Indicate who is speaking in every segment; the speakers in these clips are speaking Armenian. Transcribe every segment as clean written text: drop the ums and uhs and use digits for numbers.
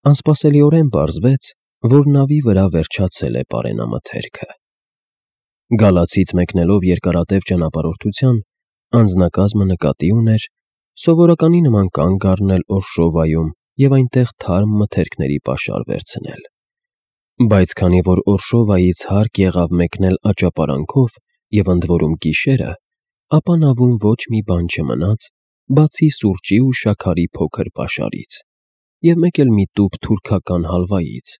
Speaker 1: Անսպասելիորեն պարզվեց, որ նավի վրա վերջացել է պարենամթերքը։ Գալացից մեկնելով երկարատև ճանապարհորդության, անձնակազմը նկատի ուներ սովորականի նման կանգ առնել Օրշովայում և այնտեղ թարմ մթերքների պաշար վերցնել։ Բայց քանի որ Օրշովայից հարկ եղավ մեկնել աճապարանքով և ընդ որում գիշերը, ապա նավում ոչ մի բան չմնաց, բացի սուրճի ու շաքարի փոքր պաշարից և մեկ էլ մի տուփ թուրքական հալվայից,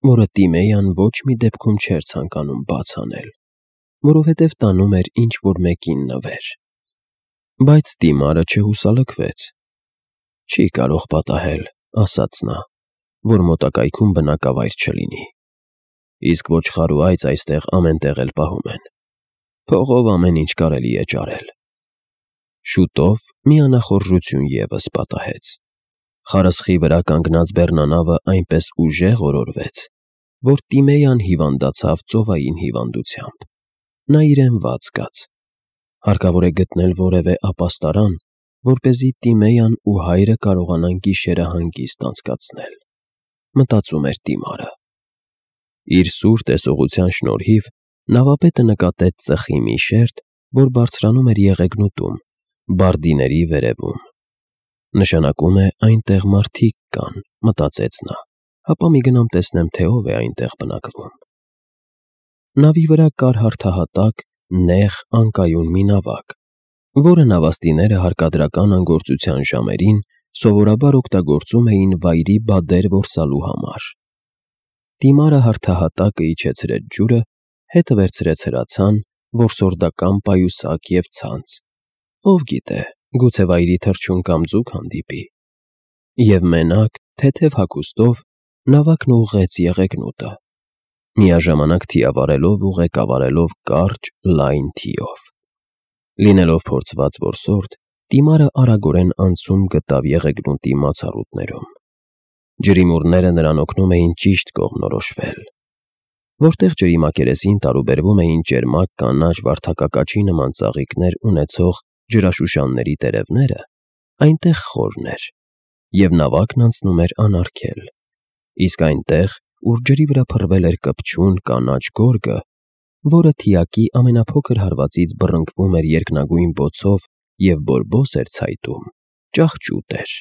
Speaker 1: որը Տիմեյան ոչ մի դեպքում չէր ցանկանում բաց անել, որովհետև տանում էր ինչ֊որ մեկին նվեր։ Բայց Տիմարը չհուսալքվեց։ «Չի կարող պատահել,» ասաց նա, «որ մոտակայքում բնակավայր չլինի։ Իսկ ոչխար ու այծ այստեղ ամեն տեղ էլ պահում են։ Փողով ամեն ինչ կարելի է ճարել»։ Շուտով մի անախորժություն ևս պատահեց։ Խարսխի վրա կանգնած բեռնանավը այնպես ուժեղ օրորվեց, որ Տիմեյան հիվանդացավ ծովային հիվանդությամբ։ Նա իրեն վատ զգաց։ Հարկավոր է գտնել որևէ ապաստարան, որպեսզի Տիմեյան ու հայրը կարողանան գիշերը հանգիստ անցկացնել, մտածում էր Տիմարը։ Իր սուր տեսողության շնորհիվ նավապետը նկատեց ծխի մի շերտ, որ բարձրանում էր եղեգնուտում, բարդիների վերևում։ Նշանակում է այնտեղ մարդիկ կան, մտածեց նա, հապա մի գնամ տեսնեմ, թե ով է այնտեղ բնակվում։ Նավի վրա կար հարթահատակ, նեղ, անկայուն մի նավակ, որը նավաստիները հարկադրական անգործության ժամերին սովորաբար օգտագործում էին վայրի բադեր որսալու համար։ Տիմարը հարթահատակը իջեցրեց ջուրը, հետը վերցրեց հրացան, որսորդական պայուսակ և ցանց։ Ով գիտե, գուցե վայրի թռչուն կամ ձուկ հանդիպի։ Եվ մենակ, թեթև հագուստով, նավակն ուղղեց եղեգնուտը, միաժամանակ թիավարելով ու ղեկավարելով կարճ, լայն թիով։ Լինելով փորձված որսորդ, Տիմարը արագորեն անցում գտավ եղեգնուտի մացառուտներում։ Ջրիմուռները նրան օգնում էին ճիշտ կողմնորոշվել։ Որտեղ ջրի մակերեսին տարուբերվում էին ճերմակ կանաչ վարդակակաչի նման ծաղիկներ ունեցող ջրաշուշանների տերևները, այնտեղ խորն էր, և նավակն անցնում էր անարգել, իսկ այնտեղ, ուր ջրի վրա փռվել էր կպչուն կանաչ գորգը, որը թիակի ամենափոքր հարվածից բռնկվում էր երկնագույն բոցով և բորբոս էր ցայտում, ճահճուտ էր,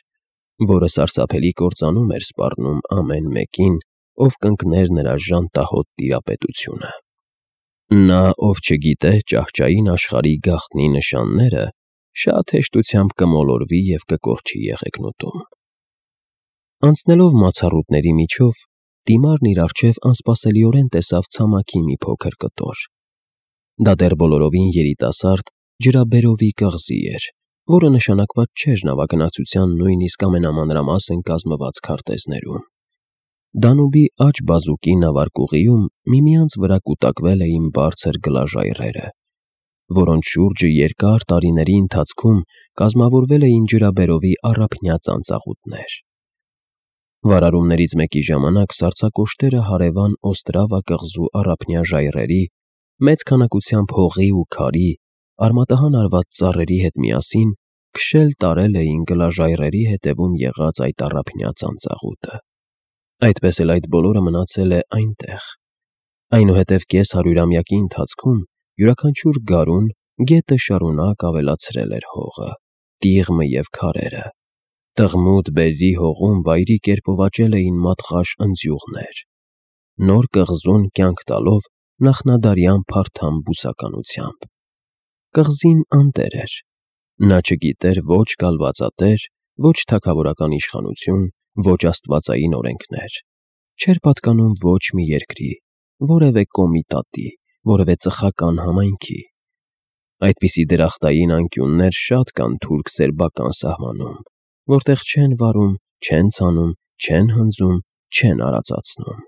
Speaker 1: որը սարսափելի կործանում էր սպառնում ամեն մեկին, ով կընկներ նրա ժանտահոտ տիրապետությունը։ Նա, ով չգիտե ճահճային աշխարհի գաղտնի նշանները, շատ հեշտությամբ կմոլորվի և կկորչի եղեգնուտում։ Անցնելով մացառուտների միջով, Տիմարն իր առջև անսպասելիորեն տեսավ ցամաքի մի փոքր կտոր։ Դա դեռ բոլորովին երիտասարդ ջրաբերովի կղզի էր, որը նշանակված չէր նավագնացության նույնիսկ ամենամանրամասն կազմված քարտեզներում։ Դանուբի աջ բազուկի նավարկուղիում միմյանց վրա կուտակվել էին բարձր գլաժայռերը, որոնց շուրջը երկար տարիների ընթացքում կազմավորվել էին ջրաբերովի առափնյա ծանծաղուտներ։ Վարարումներից մեկի ժամանակ սառցակոշտերը հարևան Օստրավա կղզու առափնյա ժայռերի, մեծ քանակությամբ հողի ու քարի, արմատահան արված ծառերի հետ միասին քշել տարել էին գլաժայռերի հետևում եղած այդ առափնյա ծանծաղուտը։ Այդպես էլ այդ բոլորը մնացել է այնտեղ։ Այնուհետև կես-հարյուրամյակի ընթացքում յուրաքանչյուր գարուն գետը շարունակ ավելացրել էր հողը, տիղմը և քարերը։ Տղմուտ բերրի հողում վայրի կերպով աճել էին մատղաշ ընձյուղներ, նոր կղզուն կյանք տալով նախնադարյան փարթամ բուսականությամբ։ Կղզին անտեր էր։ Նա չգիտեր ոչ կալվածատեր, ոչ թագավորական իշխանություն, ոչ աստվածային օրենքներ։ Չէր պատկանում ոչ մի երկրի, որևէ կոմիտատի, որևէ ծխական համայնքի։ Այդպիսի դրախտային անկյուններ շատ կան թուրք-սերբական սահմանում, որտեղ չեն վարում, չեն ցանում, չեն հնձում, չեն արածացնում։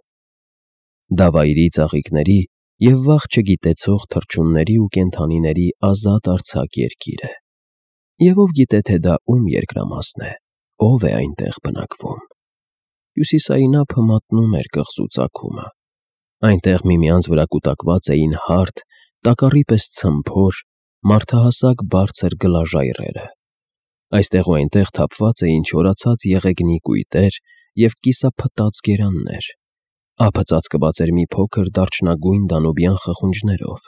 Speaker 1: Դա վայրի ծաղիկների և վաղ չգիտեցող թռչունների ու կենդանիների ազատ արձակ երկիր է։ Եվ ով գիտե, թե դա ում երկրամասն է, ով է այնտեղ բնակվում։ Հյուսիսային ափը մատնում էր կղզու ծագումը։ Այնտեղ միմյանց վրա կուտակված էին հարթ, տակառի պես ցմփոր, մարդահասակ բարձր գլաժայռերը։ Այստեղ ու այնտեղ թափված էին չորացած եղեգնի կույտեր և կիսափտած գերաններ, ափը ծածկված էր մի փոքր դարչնագույն դանուբյան խխունջներով,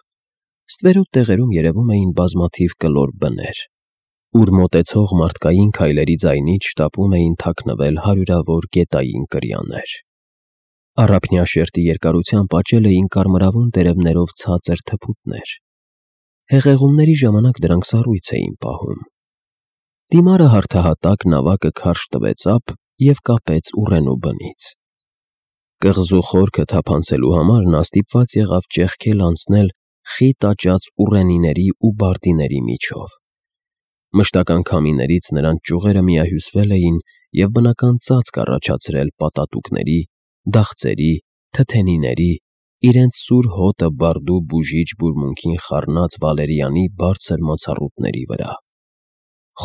Speaker 1: ստվերոտ տեղերում երևում էին բազմաթիվ կլոր բներ, ուր մոտեցող մարդկային քայլերի ձայնից շտապում էին թաքնվել հարյուրավոր գետային կրյաներ։ Առափնյա շերտի երկարությամբ աճել էին կարմրավուն տերևներով ցածր թփուտներ։ Հեղեղումների ժամանակ դրանք սառույց էին պահում։ Դիմարը հարթահատակ նավակը քարշ տվեց ափ և կապեց ուռենու բնից։ Կղզու խորքը թափանցելու համար նա ստիպված եղավ ճեղքել անցնել խիտ աճած ուռենիների ու բարդիների միջով։ Մշտական քամիներից նրանց ճյուղերը միահյուսվել էին և բնական ծածկ առաջացրել պատատուկների, դաղձերի, թթենիների, իրենց սուր հոտը բարդու բուժիչ բուրմունքին խառնած վալերիանի բարձր մոցառուտների վրա։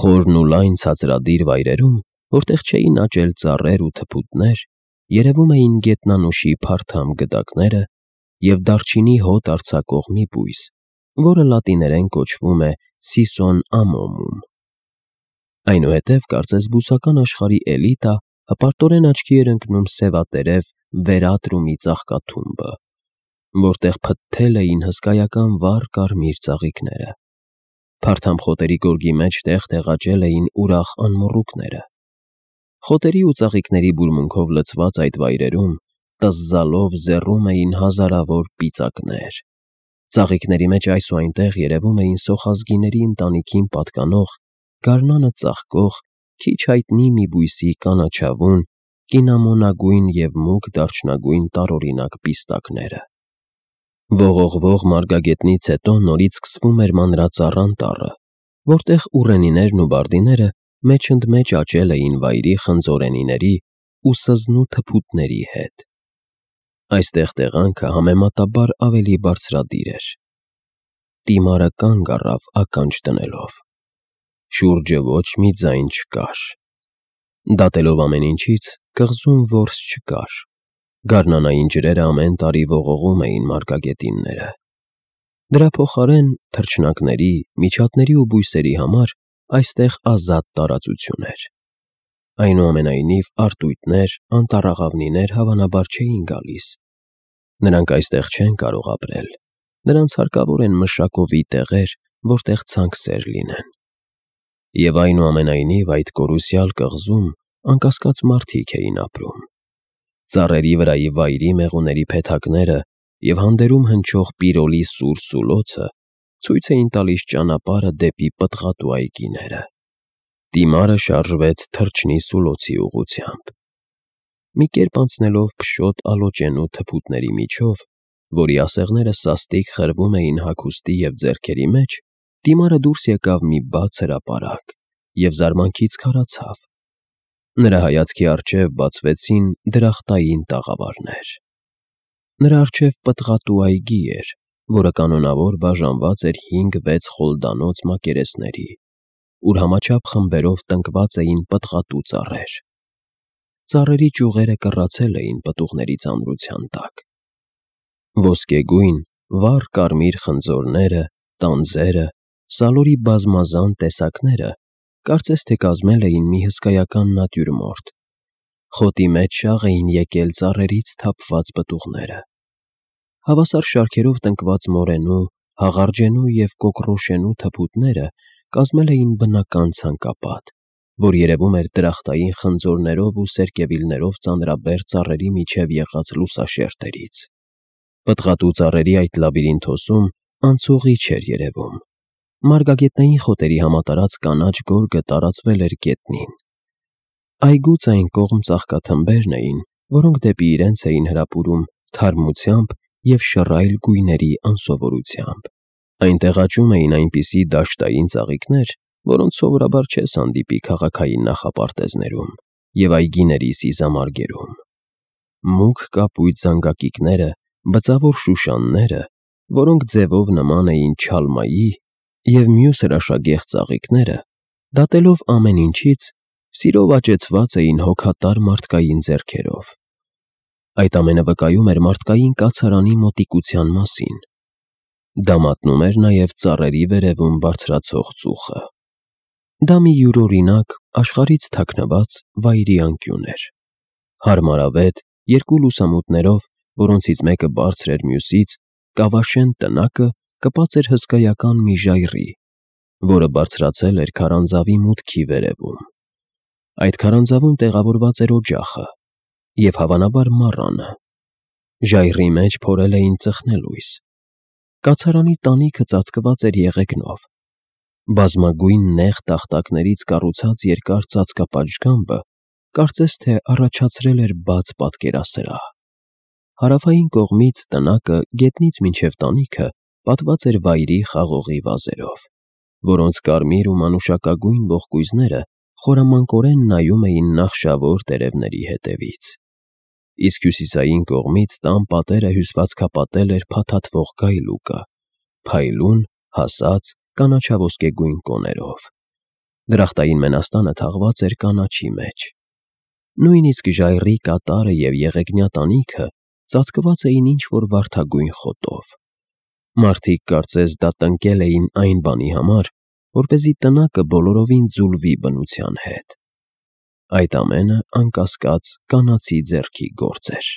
Speaker 1: Խորն ու լայն ցածրադիր վայրերում, որտեղ չէին աճել ծառեր ու թփուտներ, երևում էին գետնանուշի փարթամ գդակները և դարչինի հոտ արձակող մի բույս, որը լատիներեն կոչվում է Սիսոն ամոմում։ Այնուհետև կարծես բուսական աշխարհի էլիտա հպարտորեն աչքի էր ընկնում սևատերև վերատրումի ծաղկաթումբը, որտեղ փթթել էին հսկայական վառ կարմիր ծաղիկները։ Փարթամ խոտերի գորգի մեջ տեղ-տեղ աճել էին ուրախ անմոռուկները։ Խոտերի ու ծաղիկների բուրմունքով լցված այդ վայրերում տզզալով զեռում էին հազարավոր պիծակներ։ Ծաղիկների մեջ այս ու այնտեղ երևում էին սոխազգիների ընտանիքին պատկանող, գարնանը ծաղկող, քիչ հայտնի մի բույսի կանաչավուն, կինամոնագույն և մուգ դարչնագույն տարօրինակ պիստակները։ Ողողվող մարգագետնից հետո նորից սկսվում էր մանրածառ անտառը, որտեղ ուռենիներն ու բարդիները մեջընդմեջ աճել էին վայրի խնձորենիների ու սզնու թփուտների հետ։ Այստեղ տեղանքը համեմատաբար ավելի բարձրադիր էր։ Դիմարը կանգ առավ ականջ դնելով։ Շուրջը ոչ մի ձայն չկար։ Դատելով ամեն ինչից, կղզում որս չկար։ Գարնանային ջրերը ամեն տարի ողողում էին մարգագետինները։ Դրա փոխարեն թռչնակների, միջատների ու բույսերի համար այստեղ ազատ տարածություն էր։ Այնուամենայնիվ արտույտներ, անտառաղավնիներ հավանաբար չէին գալիս։ Նրանք այստեղ չեն կարող ապրել։ Նրանց հարկավոր են մշակովի տեղեր, որտեղ ցանքսեր լինեն։ Եվ այնուամենայնիվ այդ կորուսյալ կղզում անկասկած մարդիկ էին ապրում։ Ծառերի վրայի վայրի մեղուների փեթակները և հանդերում հնչող պիրոլի սուր սուլոցը ցույց էին տալիս ճանապարհը դեպի պտղատու այգիները։ Դիմարը շարժվեց թռչնի սուլոցի ուղղությամբ։ Մի կերպ անցնելով փշոտ ալոճենու թփուտների միջով, որի ասեղները սաստիկ խրվում էին հագուստի և ձեռքերի մեջ, Դիմարը դուրս եկավ մի բաց հրապարակ և զարմանքից քարացավ։ Նրա հայացքի առջև բացվեցին դրախտային տաղավարներ։ Նրա առջև պտղատու այգի էր, որը կանոնավոր բաժանված էր 5-6 խոլդանոց մակերեսների, ուր համաչափ խմբերով տնկված էին պտղատու ծառեր։ Ծառերի ճյուղերը կռացել էին պտուղների ծանրության տակ։ Ոսկեգույն, վառ կարմիր խնձորները, տանձերը, սալորի բազմազան տեսակները կարծես թե կազմել էին մի հսկայական նատյուրմորտ։ Խոտի մեջ շաղ էին եկել ծառերից թափված պտուղները։ Հավասար շարքերով տնկված մորենու, հաղարջենու և կոկռոշենու թփուտները կազմել էին բնական ցանկապատ, որ երևում էր դրախտային խնձորներով ու սերկևիլներով ծանրաբեռ ծառերի միջև եղած լուսաշերտերից։ Պտղատու ծառերի այդ լաբիրինթոսում անցուղի չէր երևում։ Մարգագետնային խոտերի համատարած կանաչ գորգը տարածվել էր գետնին։ Այգուց այն կողմ ծաղկաթմբերն էին, որոնք դեպի իրենց էին հրապուրում թարմությամբ և շռայլ գույների անսովորությամբ։ Այնտեղ աճում էին այնպիսի դաշտային ծաղիկներ, որոնց սովորաբար չես հանդիպի քաղաքային նախապարտեզներում և այգիների սիզամարգերում։ Մուգ կապույտ զանգակիկները, բծավոր շուշանները, որոնք ձևով նման էին չալմայի, և մյուս հրաշագեղ ծաղիկները, դատելով ամեն ինչից, սիրով աճեցված էին հոգատար մարդկային ձեռքերով։ Այդ ամենը վկայում էր մարդկային կացարանի մոտիկության մասին։ Դա մատնում էր նաև ծառերի վերևում բարձրացող ծուխը։ Դա մի յուրօրինակ, աշխարհից թաքնված վայրի անկյուն էր։ Հարմարավետ, երկու լուսամուտներով, որոնցից մեկը բարձր էր մյուսից, կավաշեն տնակը կպած էր հսկայական մի ժայռի, որը բարձրացել էր քարանձավի մուտքի վերևում։ Այդ քարանձավում տեղավորված էր օջախը և, հավանաբար, մառանը։ Ժայռի մեջ փորել էին ծխնելույս։ Կացարանի տանիքը ծածկված էր եղեգնով։ Բազմագույն նեղ տախտակներից կառուցած երկար ծածկապատշգամբը կարծես թե առաջացրել էր բաց պատկերասրահ։ Հարավային կողմից տնակը գետնից մինչև տանիքը պատված էր վայրի խաղողի վազերով, որոնց կարմիր ու մանուշակագույն ողկույզները խորամանկորեն նայում էին նախշավոր տերևների հետևից։ Իսկ հյուսիսային կողմից տան պատերը հյուսվածքապատել էր փաթաթվող գայլուկը, փայլուն, հասած, կանաչաոսկեգույն կոներով։ Դրախտային մենաստանը թաղված էր կանաչի մեջ։ Նույնիսկ ժայռի կատարը և եղեգնյա տանիքը ծածկված էին ինչ-որ վարդագույն խոտով։ Մարդիկ կարծես դա տնկել էին այն բանի համար, որպեսզի տնակը բոլորովին ձուլվի բնության հետ։ Այդ ամենը, անկասկած, կանացի ձեռքի գործ էր։